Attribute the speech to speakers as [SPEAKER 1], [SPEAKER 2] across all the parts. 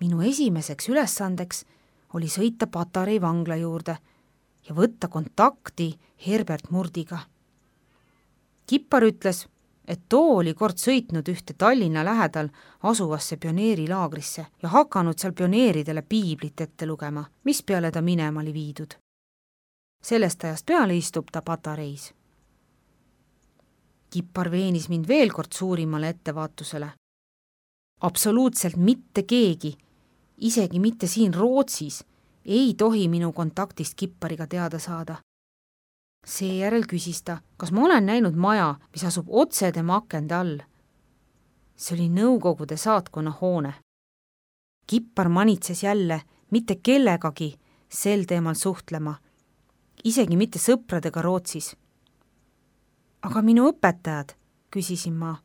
[SPEAKER 1] Minu esimeseks ülesandeks oli sõita Patarei vangla juurde ja võtta kontakti Herbert Murdiga. Kippar ütles, et too oli kord sõitnud ühte Tallinna lähedal asuvasse pioneerilaagrisse ja hakanud seal pioneeridele piiblit ette lugema, mis peale ta minema oli viidud. Sellest ajast peale istub ta Patareis. Kippar veenis mind veel kord suurimale ettevaatusele. Absoluutselt mitte keegi, isegi mitte siin Rootsis, ei tohi minu kontaktist Kippariga teada saada. Seejärel küsis ta, kas ma olen näinud maja, mis asub otse tema akende all. See oli Nõukogude saatkonna hoone. Kippar manitses jälle mitte kellegagi sel teemal suhtlema, isegi mitte sõpradega Rootsis. Aga minu õpetajad, küsisin ma.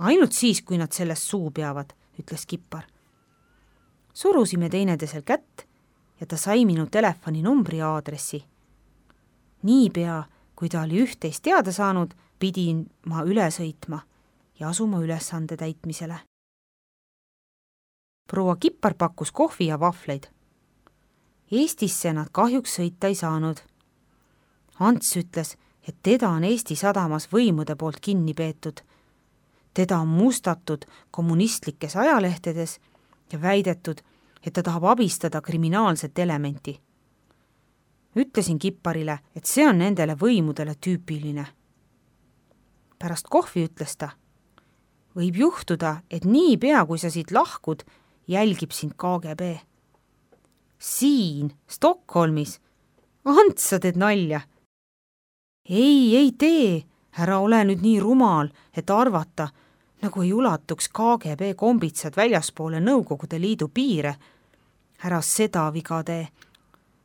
[SPEAKER 1] Ainult siis, kui nad sellest suu peavad, ütles Kippar. Surusime teineteisel kätt ja ta sai minu telefoninumbri ja aadressi. Niipea, kui ta oli üht-teist teada saanud, pidin ma üle sõitma ja asuma ülesande täitmisele. Proua Kippar pakkus kohvi ja vahvleid. Eestisse nad kahjuks sõita ei saanud. Ants ütles, et teda on Eesti sadamas võimude poolt kinni peetud. Teda on mustatud kommunistlikes ajalehtedes ja väidetud, et ta tahab abistada kriminaalset elementi. Ütlesin Kipparile, et see on nendele võimudele tüüpiline. Pärast kohvi ütles ta, võib juhtuda, et niipea, kui sa siit lahkud, jälgib sind KGB. Siin, Stockholmis. Ants, sa teed nalja. Ei tee, ära ole nüüd nii rumal, et arvata, nagu ei ulatuks KGB kombitsad väljaspoole Nõukogude Liidu piire. Ära seda viga tee.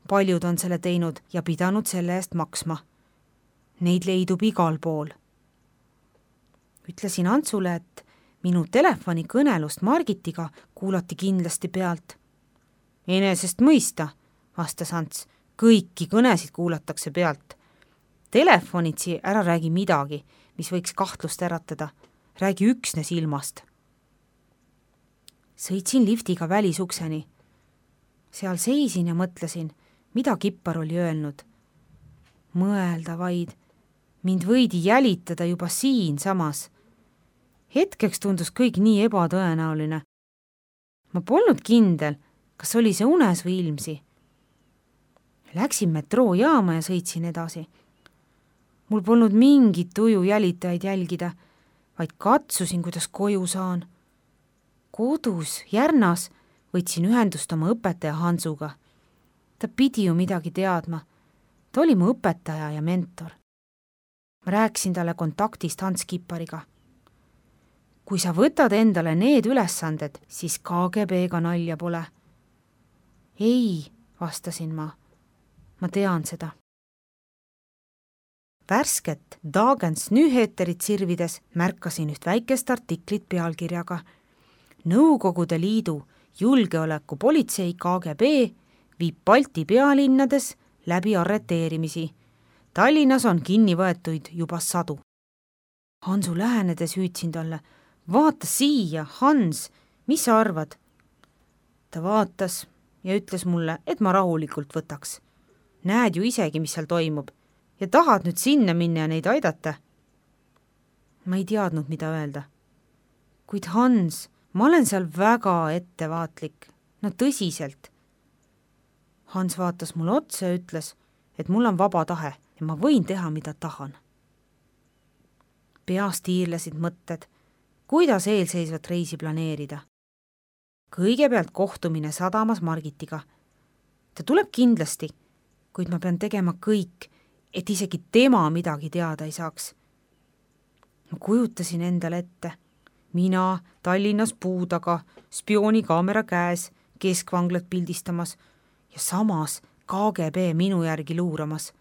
[SPEAKER 1] Paljud on selle teinud ja pidanud selle eest maksma. Neid leidub igal pool. Ütlesin Antsule, et minu telefonikõnelust Margitiga kuulati kindlasti pealt. Enesest mõista, vastas Ants, kõiki kõnesid kuulatakse pealt. Telefonitsi ära räägi midagi, mis võiks kahtlust äratada. Räägi üksnes ilmast. Sõitsin liftiga välisukseni. Seal seisin ja mõtlesin, mida Kippar oli öelnud. Mõelda vaid, mind võidi jälitada juba siin samas. Hetkeks tundus kõik nii ebatõenäoline. Ma polnud kindel, kas oli see unes või ilmsi. Läksin metroojaama ja sõitsin edasi. Mul polnud mingit tuju jälitajaid jälgida, vaid katsusin, kuidas koju saan. Kodus, Järnas, võtsin ühendust oma õpetaja Hansuga. Ta pidi ju midagi teadma. Ta oli mu õpetaja ja mentor. Ma rääkisin talle kontaktist Hans Kippariga. Kui sa võtad endale need ülesanded, siis KGB-ga nalja pole. Ei, vastasin ma. Ma tean seda. Värsket Dagens Nyheterit sirvides märkasin üht väikest artiklit pealkirjaga Nõukogude Liidu julgeolekupolitsei KGB viib Balti pealinnades läbi arreteerimisi. Tallinnas on kinni võetuid juba 100. Hansu lähenedes hüüdsin talle, vaata siia, Hans, mis sa arvad? Ta vaatas ja ütles mulle, et ma rahulikult võtaks. Näed ju isegi, mis seal toimub ja tahad nüüd sinna minna ja neid aidata? Ma ei teadnud, mida öelda. Kuid Hans, ma olen seal väga ettevaatlik, no tõsiselt. Hans vaatas mulle otsa ja ütles, et mul on vaba tahe ja ma võin teha, mida tahan. Peas tiirlesid mõtted, kuidas eelseisvat reisi planeerida. Kõigepealt kohtumine sadamas Margitiga. Ta tuleb kindlasti, kuid ma pean tegema kõik, et isegi tema midagi teada ei saaks. Ma kujutasin endale ette. Mina Tallinnas puudaga, spioonikaamera käes, keskvanglat pildistamas ja samas KGB minu järgi luuramas.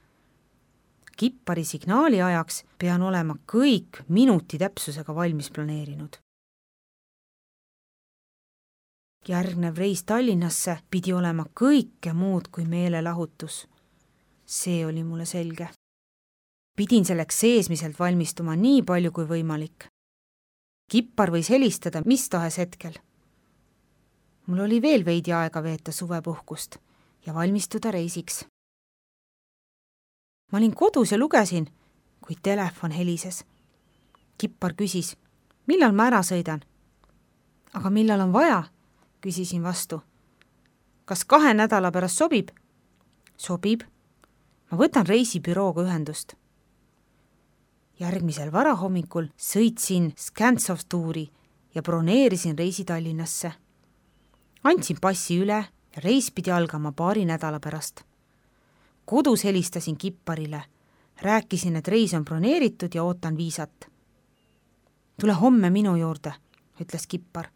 [SPEAKER 1] Kippari signaali ajaks pean olema kõik minuti täpsusega valmis planeerinud. Järgnev reis Tallinnasse pidi olema kõike muud kui meelelahutus. See oli mulle selge. Pidin selleks seesmiselt valmistuma nii palju kui võimalik. Kippar võis helistada mis tahes hetkel. Mul oli veel veidi aega veeta suvepuhkust ja valmistuda reisiks. Ma olin kodus ja lugesin, kui telefon helises. Kippar küsis, millal ma ära sõidan? Aga millal on vaja? Küsisin vastu. Kas 2 nädala pärast sobib? Sobib. Ma võtan reisibürooga ühendust. Järgmisel varahommikul sõitsin Scantsov tuuri ja broneerisin reisi Tallinnasse. Andsin passi üle ja reis pidi algama 2 nädala pärast. Kodus helistasin Kipparile. Rääkisin, et reis on broneeritud ja ootan viisat. Tule homme minu juurde, ütles Kippar.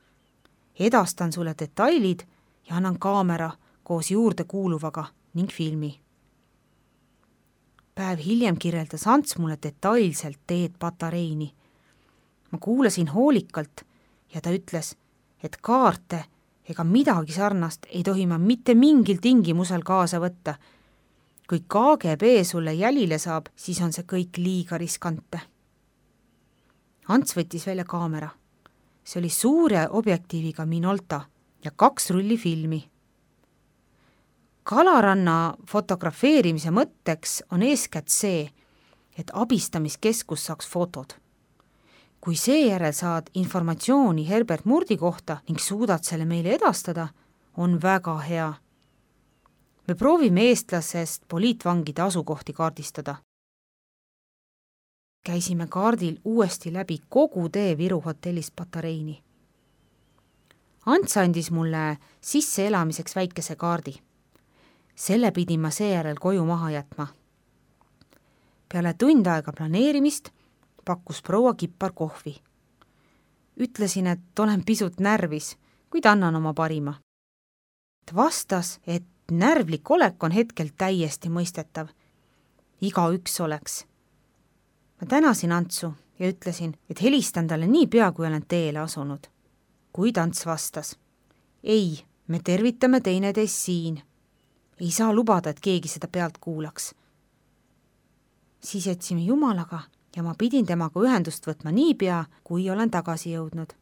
[SPEAKER 1] Edastan sulle detailid ja annan kaamera koos juurde kuuluvaga ning filmi. Päev hiljem kirjeldas Ants mulle detailselt teed Patareini. Ma kuulasin hoolikalt ja ta ütles, et kaarte ega midagi sarnast ei tohi ma mitte mingil tingimusel kaasa võtta. Kui KGB sulle jälile saab, siis on see kõik liiga riskante. Ants võttis välja kaamera. See oli suure objektiiviga Minolta ja 2 rulli filmi. Kalaranna fotografeerimise mõtteks on eeskätt see, et abistamiskeskus saaks fotod. Kui seejärel saad informatsiooni Herbert Murdi kohta ning suudad selle meile edastada, on väga hea. Me proovime eestlasest poliitvangide asukohti kaardistada. Käisime kaardil uuesti läbi kogu tee Viru hotellist Patareini. Ants andis mulle sisseelamiseks väikese kaardi. Selle pidin ma seejärel koju maha jätma. Peale tund aega planeerimist pakkus proua Kippar kohvi. Ütlesin, et olen pisut närvis, kuid annan oma parima. Ta vastas, et närvlik olek on hetkel täiesti mõistetav. Igaüks oleks. Ma tänasin Antsu ja ütlesin, et helistan talle nii pea, kui olen teele asunud. Kuid Ants vastas, ei, me tervitame teineteist siin. Ei saa lubada, et keegi seda pealt kuulaks. Siis jätsime Jumalaga ja ma pidin temaga ühendust võtma nii pea, kui olen tagasi jõudnud.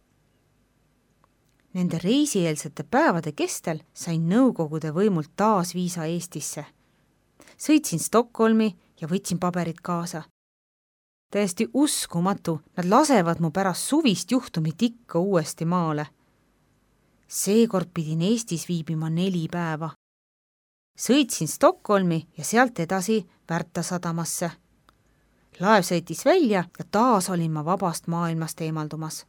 [SPEAKER 1] Nende reisieelsete päevade kestel sain Nõukogude võimult taas viisa Eestisse. Sõitsin Stockholmi ja võtsin paberid kaasa. Täiesti uskumatu, nad lasevad mu pärast suvist juhtumit ikka uuesti maale. Seekord pidin Eestis viibima 4 päeva. Sõitsin Stockholmi ja sealt edasi Värta sadamasse. Laev sõitis välja ja taas olin ma vabast maailmast eemaldumas.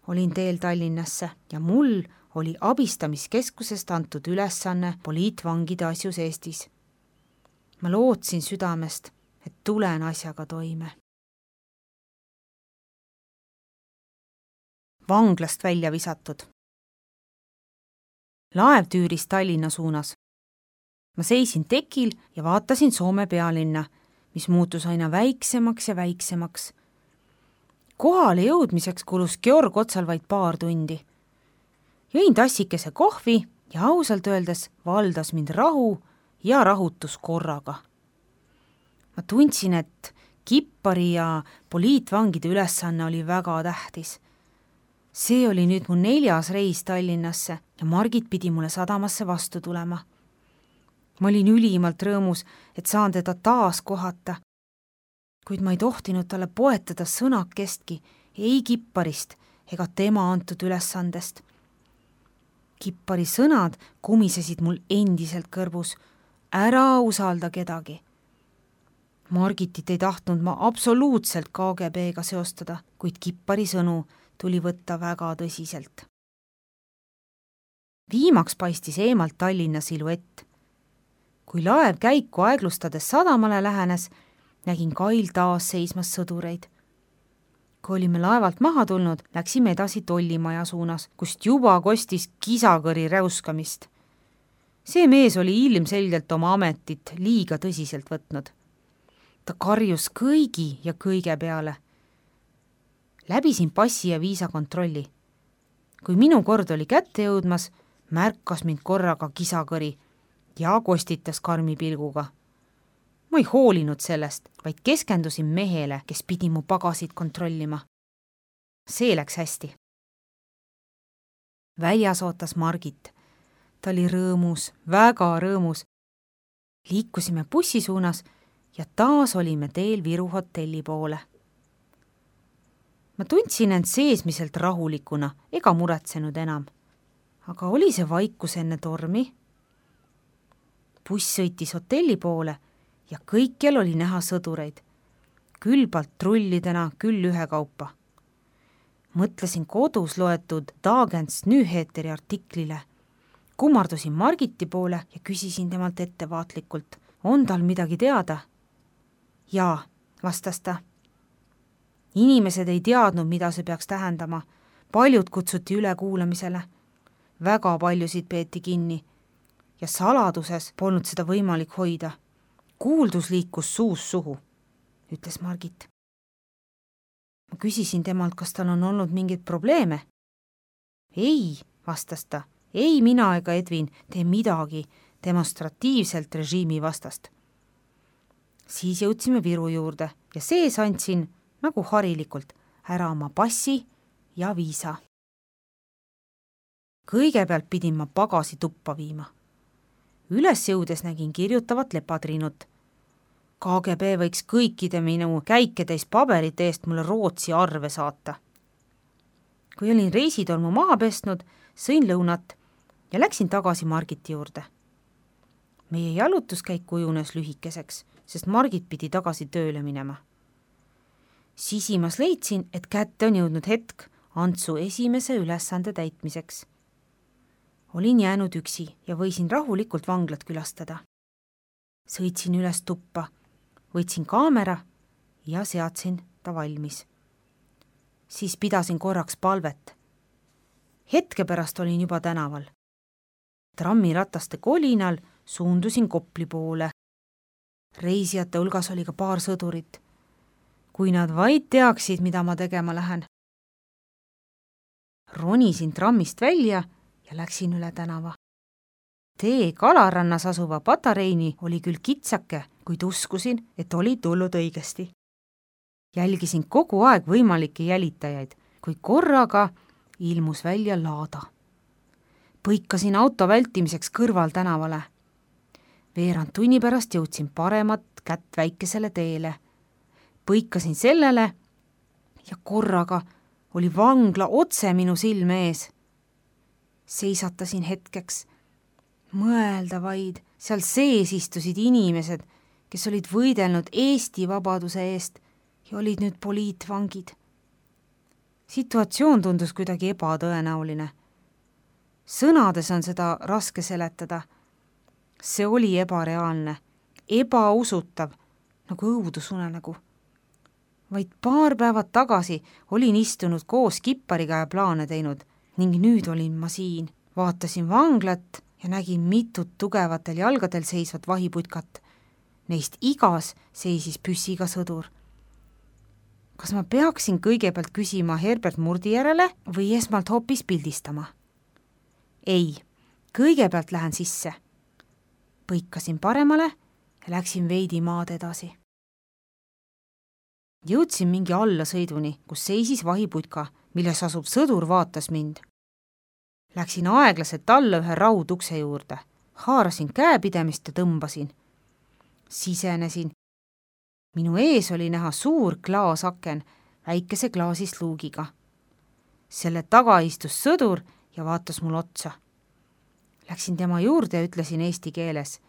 [SPEAKER 1] Olin teel Tallinnasse ja mul oli abistamiskeskusest antud ülesanne poliitvangide asjus Eestis. Ma lootsin südamest, et tulen asjaga toime. Vanglast välja visatud. Laev tüüris Tallinna suunas. Ma seisin tekil ja vaatasin Soome pealinna, mis muutus aina väiksemaks ja väiksemaks. Kohale jõudmiseks kulus Georg Otsal vaid paar tundi. Jõin tassikese kohvi ja ausalt öeldes valdas mind rahu ja rahutus korraga. Ma tundsin, et Kippari ja poliitvangide ülesanne oli väga tähtis. See oli nüüd mu 4. reis Tallinnasse ja Margit pidi mulle sadamasse vastu tulema. Ma olin ülimalt rõõmus, et saan teda taas kohata, kuid ma ei tohtinud talle poetada sõnakestki ei Kipparist ega tema antud ülesandest. Kippari sõnad kumisesid mul endiselt kõrvus. Ära usalda kedagi. Margitit ei tahtnud ma absoluutselt KGB-ga seostada, kuid Kippari sõnu tuli võtta väga tõsiselt. Viimaks paistis eemalt Tallinna siluett. Kui laev käiku aeglustades sadamale lähenes, nägin kail taas seismas sõdureid. Kui olime laevalt maha tulnud, läksime edasi tollimaja suunas, kust juba kostis kisakõri räuskamist. See mees oli ilmselgelt oma ametit liiga tõsiselt võtnud. Ta karjus kõigi ja kõige peale. Läbisin passi ja viisa kontrolli. Kui minu kord oli kätte jõudmas, märkas mind korraga kisakõri ja kostitas karmi pilguga. Ma ei hoolinud sellest, vaid keskendusin mehele, kes pidi mu pagasid kontrollima. See läks hästi. Väljas ootas Margit. Ta oli rõõmus, väga rõõmus. Liikusime bussi suunas ja taas olime teel Viru hotelli poole. Ma tundsin end seesmiselt rahulikuna ega muretsenud enam. Aga oli see vaikus enne tormi? Buss sõitis hotelli poole ja kõikjal oli näha sõdureid. Küll patrullidena, küll ühekaupa. Mõtlesin kodus loetud Dagens Nyheteri artiklile. Kummardusin Margiti poole ja küsisin temalt ettevaatlikult, on tal midagi teada? Jaa, vastas ta. Inimesed ei teadnud, mida see peaks tähendama. Paljud kutsuti üle kuulamisele. Väga paljusid peeti kinni ja saladuses polnud seda võimalik hoida. Kuuldus liikus suust suhu, ütles Margit. Ma küsisin temalt, kas tal on olnud mingeid probleeme. Ei, vastas ta. Ei mina ega Edvin tee midagi demonstratiivselt režiimi vastast. Siis jõudsime Viru juurde ja sees andsin, nagu harilikult, ära oma passi ja viisa. Kõigepealt pidin ma pagasi tuppa viima. Üles jõudes nägin kirjutavat lepatriinut. KGB võiks kõikide minu käiketäis paberite eest mulle Rootsi arve saata. Kui olin reisitolmu maha pesnud, sõin lõunat ja läksin tagasi Margiti juurde. Meie jalutuskäik kujunes lühikeseks, sest Margit pidi tagasi tööle minema. Sisimas leidsin, et kätte on jõudnud hetk Antsu esimese ülesande täitmiseks. Olin jäänud üksi ja võisin rahulikult vanglat külastada. Sõitsin üles tuppa, võtsin kaamera ja seadsin ta valmis. Siis pidasin korraks palvet. Hetke pärast olin juba tänaval. Trammirataste kolinal suundusin Kopli poole. Reisijate hulgas oli ka paar sõdurit. Kui nad vaid teaksid, mida ma tegema lähen. Ronisin trammist välja ja läksin üle tänava. Tee Kalarannas asuva Patareini oli küll kitsake, kuid uskusin, et oli tulnud õigesti. Jälgisin kogu aeg võimalikke jälitajaid, kui korraga ilmus välja laada. Põikasin auto vältimiseks kõrval tänavale. Veerand tunni pärast jõudsin paremat kätt väikesele teele. Põikasin sellele ja korraga oli vangla otse minu silme ees. Seisatasin hetkeks. Mõelda vaid, seal sees istusid inimesed, kes olid võidelnud Eesti vabaduse eest ja olid nüüd poliitvangid. Situatsioon tundus kuidagi ebatõenäoline. Sõnades on seda raske seletada. See oli ebareaalne, ebausutav, nagu õudusunenägu. Vaid paar päevad tagasi olin istunud koos kippariga ja plaane teinud ning nüüd olin ma siin. Vaatasin vanglat ja nägin mitut tugevatel jalgadel seisvat vahiputkat. Neist igas seisis püssiga sõdur. Kas ma peaksin kõigepealt küsima Herbert Murdi järele või esmalt hoopis pildistama? Ei, kõigepealt lähen sisse. Põikasin paremale ja läksin veidi maad edasi. Jõudsin mingi allasõiduni, kus seisis vahiputka, milles asub sõdur vaatas mind. Läksin aeglaselt alla ühe raudukse juurde, haarasin käepidemist ja tõmbasin. Sisenesin. Minu ees oli näha suur klaasaken väikese klaasist luugiga. Selle taga istus sõdur ja vaatas mul otsa. Läksin tema juurde ja ütlesin eesti keeles.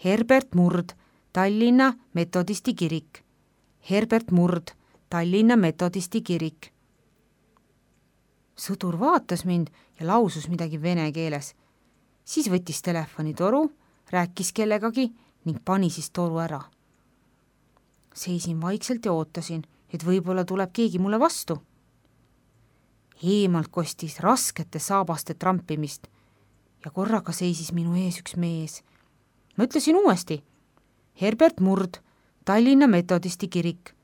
[SPEAKER 1] Herbert Murd, Tallinna metodisti kirik. Herbert Murd, Tallinna metodisti kirik. Sõdur vaatas mind ja lausus midagi vene keeles. Siis võttis telefonitoru, rääkis kellegagi ning pani siis toru ära. Seisin vaikselt ja ootasin, et võib-olla tuleb keegi mulle vastu. Eemalt kostis raskete saabaste trampimist ja korraga seisis minu ees üks mees. Ma ütlesin uuesti. Herbert Murd, Tallinna metodisti kirik.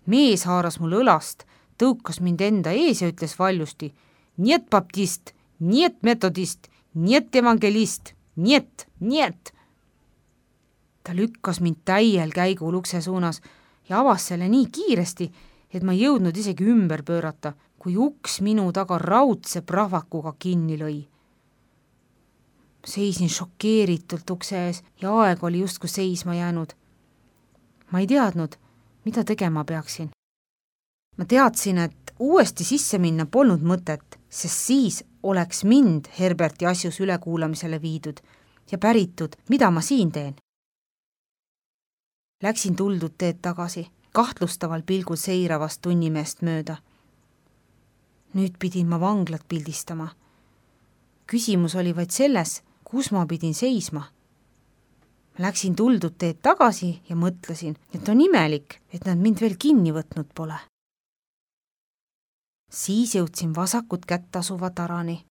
[SPEAKER 1] Mees haaras mul õlast, tõukas mind enda ees ja ütles valjusti. Niet baptist, niet metodist, niet evangelist, niet. Ta lükkas mind täiel käigul ukse suunas ja avas selle nii kiiresti, et ma ei jõudnud isegi ümber pöörata, kui uks minu taga raudse prahvakuga kinni lõi. Seisin šokeeritult ukse ees ja aeg oli justkui seisma jäänud. Ma ei teadnud, mida tegema peaksin. Ma teadsin, et uuesti sisse minna polnud mõtet, sest siis oleks mind Herberti asjus ülekuulamisele viidud ja päritud, mida ma siin teen. Läksin tuldud teed tagasi, kahtlustaval pilgul seiravast tunnimeest mööda. Nüüd pidin ma vanglat pildistama. Küsimus oli vaid selles, kus ma pidin seisma. Ma läksin tuldud teed tagasi ja mõtlesin, et on imelik, et nad mind veel kinni võtnud pole. Siis jõudsin vasakut kätt asuva tarani.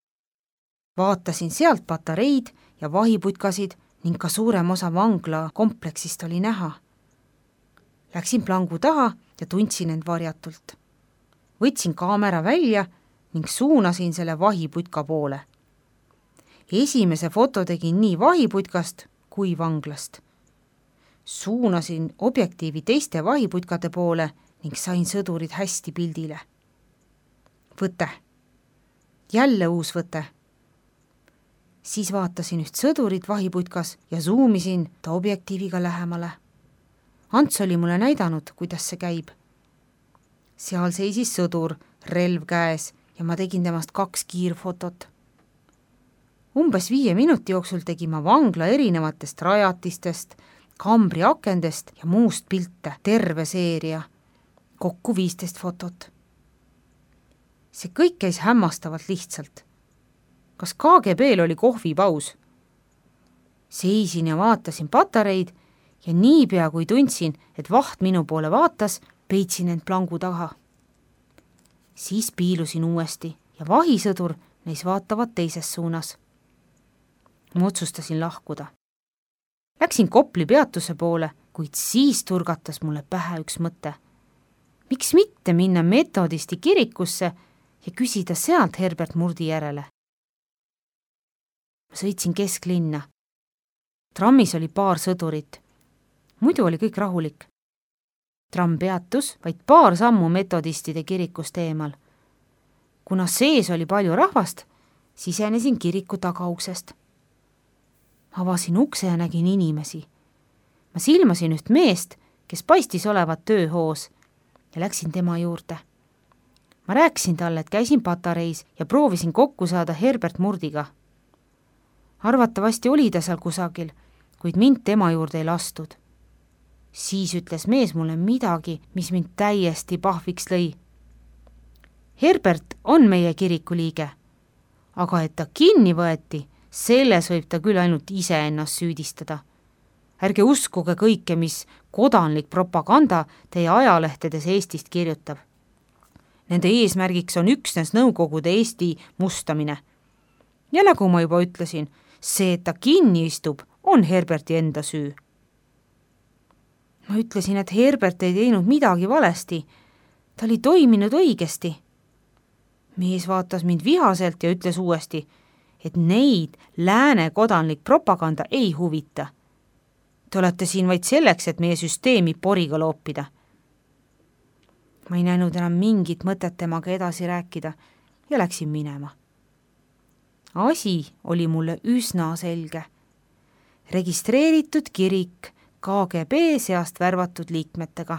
[SPEAKER 1] Vaatasin sealt patareid ja vahiputkasid ning ka suurem osa vangla kompleksist oli näha. Läksin plangu taha ja tundsin end varjatult. Võtsin kaamera välja ning suunasin selle vahiputka poole. Esimese foto tegin nii vahiputkast kui vanglast. Suunasin objektiivi teiste vahiputkade poole ning sain sõdurid hästi pildile. Võte. Jälle uus võte. Siis vaatasin üht sõdurit vahiputkas ja zoomisin ta objektiiviga lähemale. Ants oli mulle näidanud, kuidas see käib. Seal seisis sõdur, relv käes ja ma tegin temast 2 kiirfotot. Umbes 5 minuti jooksul tegin ma vangla erinevatest rajatistest, kambri akendest ja muust pilte, terve seeria, kokku 15 fotot. See kõik käis hämmastavalt lihtsalt. Kas KGB-l oli kohvipaus? Seisin ja vaatasin patareid ja niipea kui tundsin, et vaht minu poole vaatas, peitsin end plangu taha. Siis piilusin uuesti ja vahisõdur neis vaatavad teises suunas. Ma otsustasin lahkuda. Läksin Kopli peatuse poole, kuid siis turgatas mulle pähe üks mõte. Miks mitte minna metodisti kirikusse ja küsida sealt Herbert Murdi järele? Ma sõitsin kesklinna. Trammis oli paar sõdurit. Muidu oli kõik rahulik. Tramm peatus vaid paar sammu metodistide kirikust eemal. Kuna sees oli palju rahvast, sisenesin kiriku tagauksest. Avasin ukse ja nägin inimesi. Ma silmasin üht meest, kes paistis olevat tööhoos ja läksin tema juurde. Ma rääkisin talle, et käisin patareis ja proovisin kokku saada Herbert Murdiga. Arvatavasti oli ta seal kusagil, kuid mind tema juurde ei lastud. Siis ütles mees mulle midagi, mis mind täiesti pahviks lõi. Herbert on meie kiriku liige, aga et ta kinni võeti, selles võib ta küll ainult ise ennast süüdistada. Ärge uskuge kõike, mis kodanlik propaganda teie ajalehtedes Eestist kirjutab. Nende eesmärgiks on üksnes Nõukogude Eesti mustamine. Ja nagu ma juba ütlesin, see, et ta kinni istub, on Herberti enda süü. Ma ütlesin, et Herbert ei teinud midagi valesti. Ta oli toiminud õigesti. Mees vaatas mind vihaselt ja ütles uuesti, et neid lääne kodanlik propaganda ei huvita. Te olete siin vaid selleks, et meie süsteemi poriga loopida. Ma ei näinud enam mingit mõtet temaga edasi rääkida ja läksin minema. Asi oli mulle üsna selge. Registreeritud kirik KGB seast värvatud liikmetega.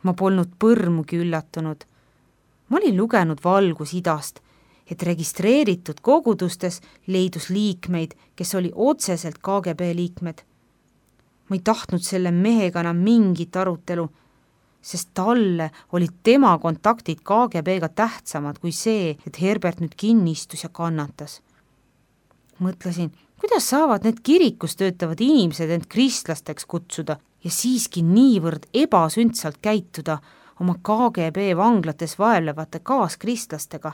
[SPEAKER 1] Ma polnud põrmugi üllatunud. Ma olin lugenud Valgus idast, et registreeritud kogudustes leidus liikmeid, kes oli otseselt KGB liikmed. Ma ei tahtnud selle mehega enam mingit arutelu, sest talle olid tema kontaktid KGB-ga tähtsamad kui see, et Herbert nüüd kinni istus ja kannatas. Mõtlesin, kuidas saavad need kirikus töötavad inimesed end kristlasteks kutsuda ja siiski niivõrd ebasündsalt käituda oma KGB vanglates vaevlevate kaaskristlastega.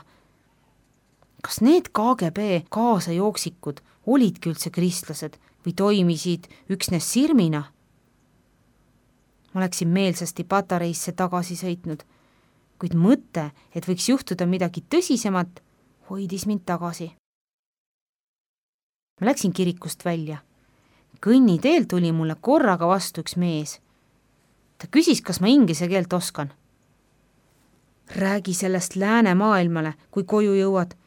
[SPEAKER 1] Kas need KGB kaasajooksikud olidki üldse kristlased või toimisid üksnes sirmina? Ma läksin meelsasti patareisse tagasi sõitnud, kuid mõte, et võiks juhtuda midagi tõsisemat, hoidis mind tagasi. Ma läksin kirikust välja. Kõnniteel tuli mulle korraga vastu üks mees. Ta küsis, kas ma inglise keelt oskan. Räägi sellest läänemaailmale, kui koju jõuad.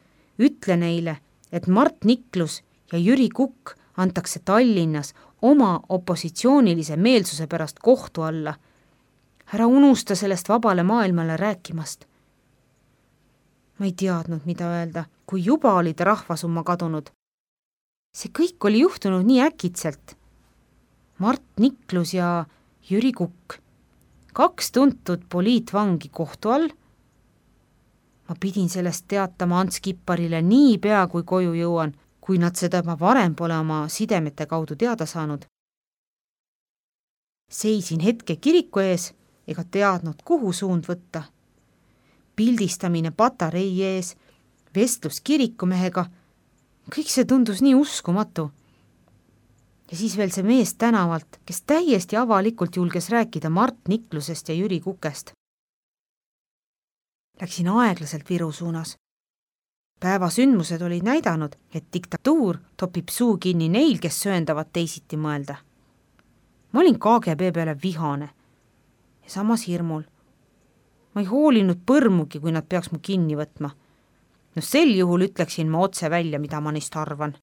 [SPEAKER 1] Ütle neile, et Mart Niklus ja Jüri Kukk antakse Tallinnas oma opositsioonilise meelsuse pärast kohtu alla. Ära unusta sellest vabale maailmale rääkimast. Ma ei teadnud, mida öelda, kui juba olid rahvasumma kadunud. See kõik oli juhtunud nii äkitselt. Mart Niklus ja Jüri Kukk, 2 tuntud poliitvangi kohtu all. Ma pidin sellest teatama Ants Kipparile nii pea, kui koju jõuan, kui nad seda ma varem pole oma sidemete kaudu teada saanud. Seisin hetke kiriku ees ega teadnud, kuhu suund võtta. Pildistamine patarei ees, vestlus kirikumehega, kõik see tundus nii uskumatu. Ja siis veel see mees tänavalt, kes täiesti avalikult julges rääkida Mart Niklusest ja Jüri Kukest. Läksin aeglaselt Viru suunas. Päeva sündmused olid näidanud, et diktatuur topib suu kinni neil, kes sööndavad teisiti mõelda. Ma olin KGB peale vihane ja samas hirmul. Ma ei hoolinud põrmugi, kui nad peaks mu kinni võtma. No sel juhul ütleksin ma otse välja, mida ma neist arvan.